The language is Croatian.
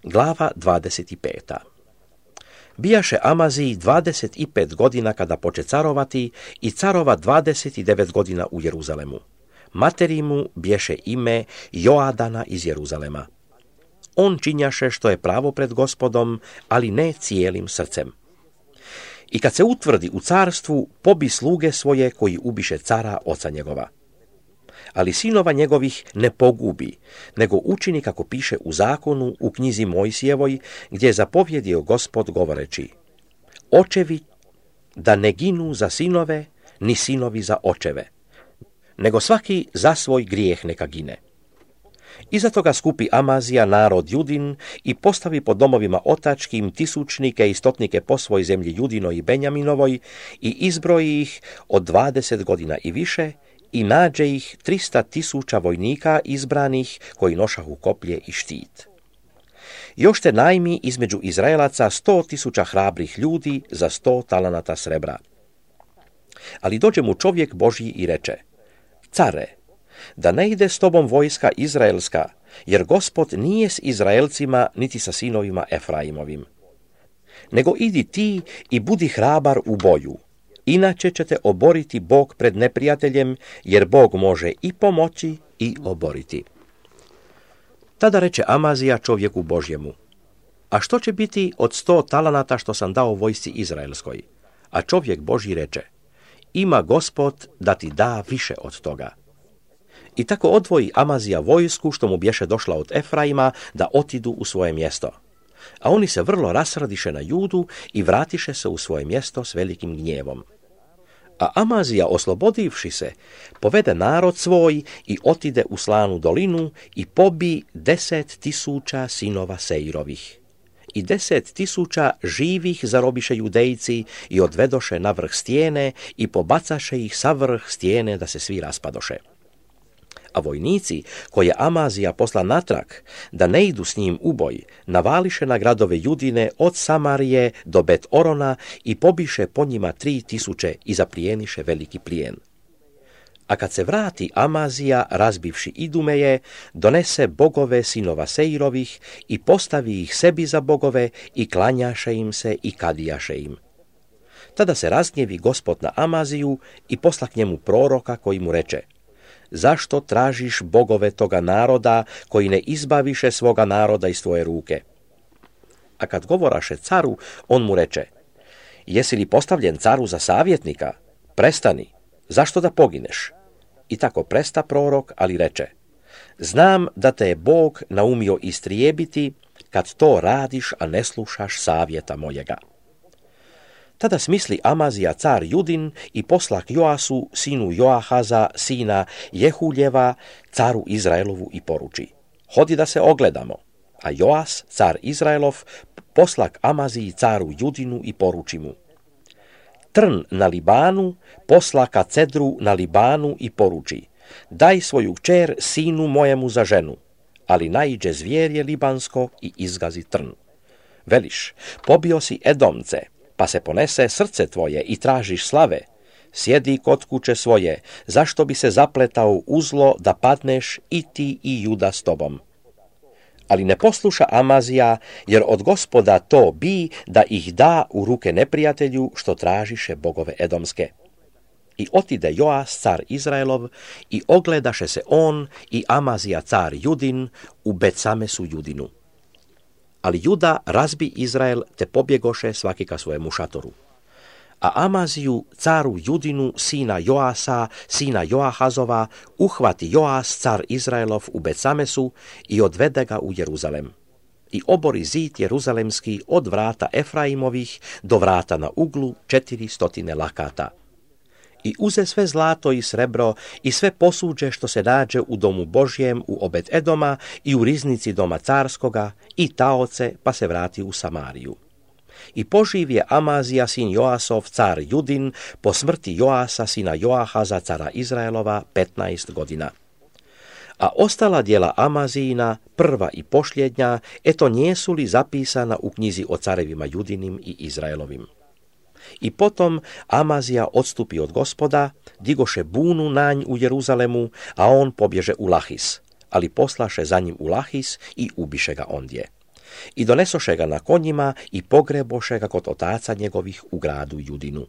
Glava 25. Bijaše Amaziji 25 godina kada poče carovati i carova 29 godina u Jeruzalemu. Materi mu bješe ime Joadana iz Jeruzalema. On činjaše što je pravo pred Gospodom, ali ne cijelim srcem. I kad se utvrdi u carstvu, pobi sluge svoje koji ubiše cara oca njegova. Ali sinova njegovih ne pogubi, nego učini kako piše u zakonu u knjizi Mojsijevoj, gdje je zapovjedio Gospod govoreći: očevi da ne ginu za sinove, ni sinovi za očeve, nego svaki za svoj grijeh neka gine. Iza toga skupi Amazija narod Judin i postavi po domovima otačkim tisućnike i stotnike po svoj zemlji Judinoj i Benjaminovoj i izbroji ih od 20 godina i više i nađe ih 300.000 vojnika izbranih koji nošahu koplje i štit. Još te najmi između Izraelaca 100.000 hrabrih ljudi za 100 talanata srebra. Ali dođe mu čovjek Božji i reče: care, da ne ide s tobom vojska izraelska, jer Gospod nije s Izraelcima niti sa sinovima Efraimovim. Nego idi ti i budi hrabar u boju, inače će te oboriti Bog pred neprijateljem, jer Bog može i pomoći i oboriti. Tada reče Amazija čovjeku Božjemu: a što će biti od 100 talanata što sam dao vojsci izraelskoj? A čovjek Božji reče: ima Gospod da ti da više od toga. I tako odvoji Amazija vojsku što mu bješe došla od Efraima da otidu u svoje mjesto. A oni se vrlo rasradiše na Judu i vratiše se u svoje mjesto s velikim gnjevom. A Amazija, oslobodivši se, povede narod svoj i otide u Slanu dolinu i pobi 10.000 sinova Seirovih. I 10.000 živih zarobiše Judejci i odvedoše na vrh stijene i pobacaše ih sa vrh stijene da se svi raspadoše. A vojnici, koje Amazija posla natrag, da ne idu s njim u boj, navališe na gradove Judine od Samarije do Bet Orona i pobiše po njima 3.000 i zaplijeniše veliki plijen. A kad se vrati Amazija, razbivši Idumeje, donese bogove sinova Seirovih i postavi ih sebi za bogove i klanjaše im se i kadijaše im. Tada se razgnjevi Gospod na Amaziju i posla k njemu proroka koji mu reče: zašto tražiš bogove toga naroda koji ne izbaviše svoga naroda iz tvoje ruke? A kad govoraše caru, on mu reče: jesi li postavljen caru za savjetnika? Prestani, zašto da pogineš? I tako presta prorok, ali reče: znam da te je Bog naumio istrijebiti kad to radiš, a ne slušaš savjeta mojega. Tada smisli Amazija car Judin i posla k Joasu, sinu Joahaza, sina Jehuljeva, caru Izraelovu i poruči: hodi da se ogledamo. A Joas, car Izraelov, posla k Amaziji caru Judinu i poruči mu: trn na Libanu posla ka cedru na Libanu i poruči: daj svoju kćer sinu mojemu za ženu, ali naiđe zvjerje libansko i izgazi trn. Veliš: pobio si Edomce, pa se ponese srce tvoje i tražiš slave. Sjedi kod kuće svoje, zašto bi se zapletao uzlo da padneš i ti i Juda s tobom? Ali ne posluša Amazija, jer od Gospoda to bi da ih da u ruke neprijatelju što tražiše bogove Edomske. I otide Joas car Izraelov i ogledaše se on i Amazija car Judin u Betsamesu Judinu. Ali Juda razbi Izrael te pobjegoše svaki ka svojemu šatoru. A Amaziju caru Judinu sina Joasa, sina Joahazova, uhvati Joas car Izraelov u Betsamesu i odvede ga u Jeruzalem. I obori zid jeruzalemski od vrata Efraimovih do vrata na uglu 400 lakata. I uze sve zlato i srebro i sve posuđe što se nađe u domu Božjem u Obed Edoma i u riznici doma carskoga i taoce, pa se vrati u Samariju. I poživ je Amazija sin Joasov car Judin po smrti Joasa sina Joahaza cara Izraelova 15 godina. A ostala djela Amazijina, prva i posljednja, eto nijesu li zapisana u knjizi o carevima Judinim i Izraelovim. I potom Amazija odstupi od Gospoda, digoše bunu nanj u Jeruzalemu, a on pobježe u Lahis, ali poslaše za njim u Lahis i ubiše ga ondje. I donesoše ga na konjima i pogreboše ga kod otaca njegovih u gradu Judinu.